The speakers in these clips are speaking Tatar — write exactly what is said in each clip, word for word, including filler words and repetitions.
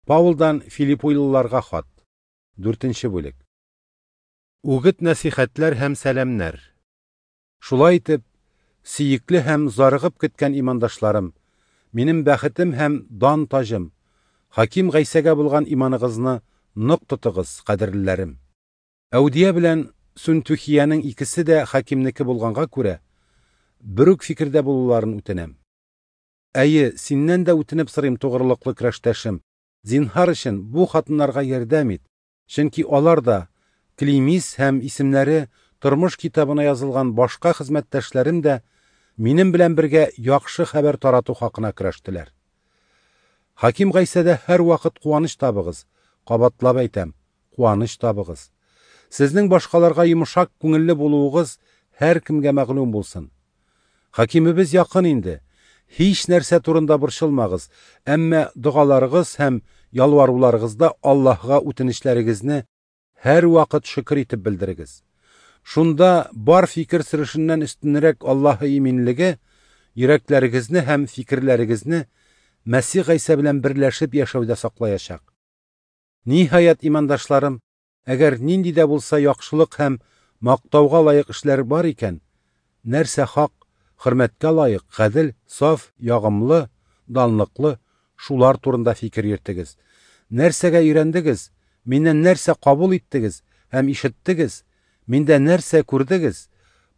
Паулдан Филиппилыларга хат. Дүртенче бүлек. Үгет-нәсихәтләр һәм сәламнәр. Шулай итеп, сөекле һәм зарыгып көткән имандашларым, минем бәхетем һәм дан таҗым, Хаким Гайсәгә булган иманыгызны нык тотыгыз, кадерлеләрем. Әүдия белән Сүнтүхиянең икесе дә хакимнеке булганга күрә, бер үк фикердә булуларын үтенәм. Әйе, синнән дә үтенеп сорыйм, тугрылыклы көрәштәшем, зинһар өчен бу хатыннарга ярдәм ит, чөнки алар да Климис һәм исемнәре тормыш китабына язылган башка хезмәттәшләрем дә минем белән бергә яхшы хәбәр тарату хакына көрәштеләр. Хаким Гайсәдә һәрвакыт куаныч табыгыз, кабатлап әйтәм, куаныч табыгыз. Сезнең башкаларга йомшак күңелле булуыгыз һәркемгә мәгълүм булсын. Хакимебез якын инде. Һич нәрсә турында борчылмагыз, әмма догаларыгыз һәм ялваруларыгызда Аллаһга үтенечләрегезне һәрвакыт шөкер итеп белдерегез. Шунда бар фикер сөрешеннән өстенрәк Аллаһы иминлеге йөрәкләрегезне һәм фикерләрегезне Мәсих Гайсә белән берләшеп яшәүдә саклаячак. Ниһаять, имандашларым, әгәр нинди дә булса яхшылык һәм мактауга лаек эшләр бар икән, нәрсә хак, хөрмәткә лаек, гадел, саф, ягымлы, данлыклы, шулар турында фикер йөртегез. Нәрсәгә өйрәндегез, миннән нәрсә кабул иттегез һәм ишеттегез, миндә нәрсә күрдегез,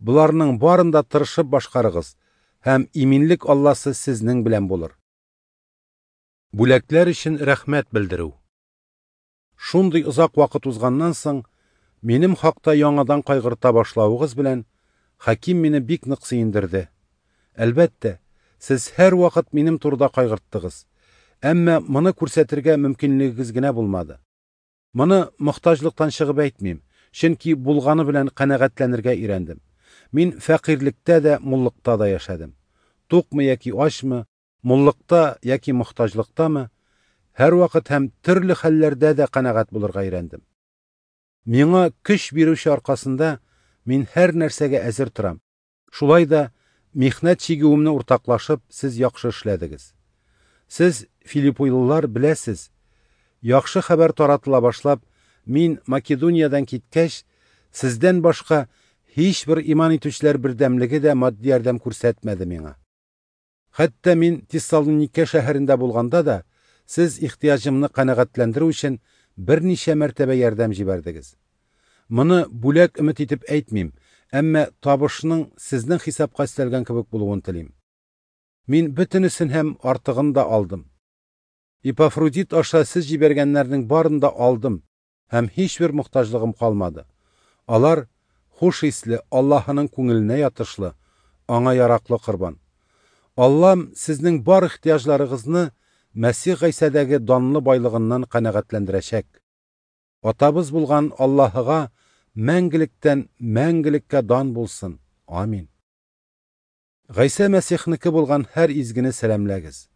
боларның барын да тырышып башкарыгыз, һәм иминлек Алласы сезнең белән булыр. Бүләкләр өчен рәхмәт белдерү. Шундый озак вакыт узганнан соң, минем хакта яңадан кайгырта башлавыгыз белән Хаким мине бик нык сөендерде. Әлбәттә, сез һәрвакыт минем турыда кайгырттыгыз, әмма моны күрсәтергә мөмкинлегегез генә булмады. Моны мохтаҗлыктан чыгып әйтмим, чөнки булганы белән канәгатьләнергә өйрәндем. Мин фәкыйрьлектә дә, муллыкта да яшәдем. Тукмы яки ачмы, муллыкта яки мохтаҗлыктамы, һәрвакыт һәм төрле хәлләрдә дә канәгать булырга өйрәндем. Миңа көч бирүче аркасында мин һәр нәрсәгә әзер торам. Шулай да михнәт чигүемне уртаклашып, сез яхшы эшләдегез. Сез, филиппилылар, беләсез, яхшы хәбәр таратыла башлап, мин Македониядән киткәч, сездән башка һичбер иман итүчеләр бердәмлеге дә матди ярдәм күрсәтмәде миңа. Хәтта мин Тессалоникә шәһәрендә булганда да, сез ихтыяҗымны канәгатьләндерү өчен берничә мәртәбә ярдәм җибәрдегез. Моны бүләк өмет итеп әйтмим, әмма табышның сезнең хисапка өстәлгән кебек булуын телим. Мин бөтенесен һәм артыгын да алдым. Эпафродит аша сез җибәргәннәрнең барын да алдым һәм һичбер мохтаҗлыгым калмады. Алар хуш исле, Аллаһының күңеленә ятышлы, аңа яраклы корбан. Аллам сезнең бар ихтыяҗларыгызны Мәсих Гайсәдәге данлы байлыгыннан канәгатьләндерәчәк. Атабыз булган Аллаһыга мәңгелектән мәңгелеккә дан булсын. Амин. Гайсә Мәсихнеке булган һәр изгене сәламләгез.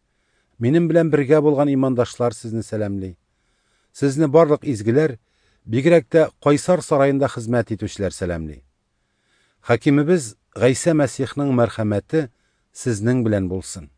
Минем белән бергә булган имандашлар сезне сәламли. Сезне барлык изгеләр, бигрәк тә Кайсар сараенда хезмәт итүчеләр сәламли. Хакимебез Гайсә Мәсихнең мәрхәмәте сезнең белән булсын.